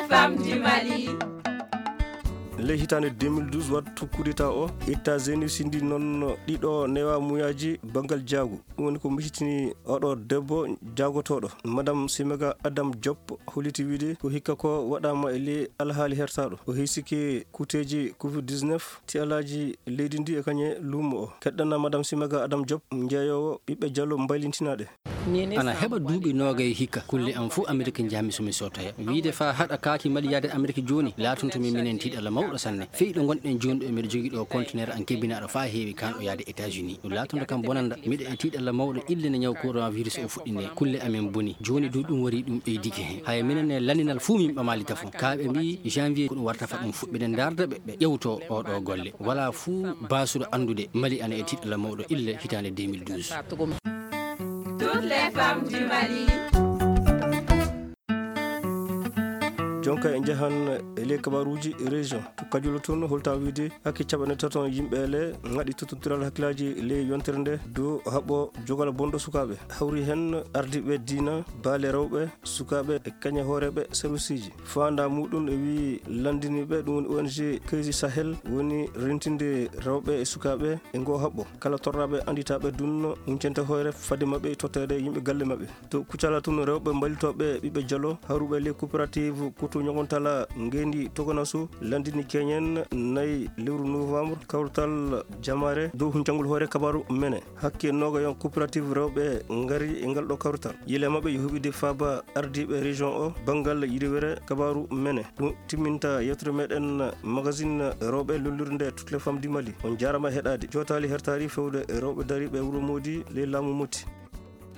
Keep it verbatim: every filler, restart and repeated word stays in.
Femmes du Mali. Ley hitaande deux mille douze, wattu kudeta o, États-Unis sindi noon ɗiɗo newa muyaaji banngal jaagu. Ɗum woni ko misitini oɗo debbo jaagotooɗo. Madame Simega Adam Diop holliti wiide ko hikka ko waɗaama e ley alhaali hertaaɗo. O hiisike kuuteeji covid dix-neuf, tialaaji leydi ndi e kañe luumo o. Keɗɗana Madame Simega Adam Diop, jeeyoowo ɓiɓɓe Jallo mbaylintinaaɗe. Ana heɓa duuɓi noogay hikka, kulle am fof Amerik njahmi so mi sootoya. Wiide faa haɗa kaaki Mali yaade Amerik jooni, laatonto mi minen tiiɗalla mawɗo sanne. Fey ɗo ngonɗen jooni ɗo, miɗo jogii ɗo conteneur an kebinaaɗo faa heewi, kaan ɗo yaade États-Unis. Ɗum laatonto kam bonanda, miɗo e tiiɗalla mawɗo ille ne ñaw coronavirus o fuɗɗinee. Kulle amen boni. Jooni du ɗum warii ɗum ɓeydike heen. Haya minen e lanndinal fuu min ɓamaali tafon. Kaa ɓe mbii janvier ko ɗum warta fa ɗum fuɗ-, miɗen ndaarda ɓe, ɓe ƴewtoo oo ɗoo golle. Walaa fuu baasuɗo anndude Mali ana e tiiɗalla mawɗo ille hitaande deux mille douze. Toutes les femmes du Mali. Jonka en njahan e ley kabaaruuji région. To Kajola toon, holta wiide hakke capanɗe tato yimɓe ele ngaɗi tottondiral hakkillaaji ley yontere nde dow haɓɓo jogal bonɗo sukaaɓe. Hawri heen ardiiɓe diina, baale rewɓe, sukaaɓe e kañe hooreeɓe serviceeji. Faandaa muuɗum e wii lanndiniiɓe, ɗum woni O N G Kaysi Sahel, woni rentinde rewɓe e sukaaɓe e ngoo haɓɓo. Kala torraaɓe annditaaɓe dunno huncente hoore fade maɓɓe totteede yimɓe galle maɓɓe. To Kucala tun, rewɓe mballitooɓe ɓiɓɓe Jalo hawruɓe ley coopérative Kutu Ñogontala Ngeendi Toganasu lanndini keñen nayi lewru novembre kawrital jamaare dow huncangol hoore kabaaru mene. Hakke noogayon coopérative rewɓe ngari e ngal ɗo kawrital. Yile maɓɓe yo huɓide faaba ardiiɓe région o banngal yiriwere kabaaru mene. Ɗum timminta yewtere meɗen magazine rewɓe lollirde Toutes les femmes du Mali. On jaarama heɗaade. Jootaali hertaari fewde rewɓe dariiɓe wuro Moodi ley laamu Moti.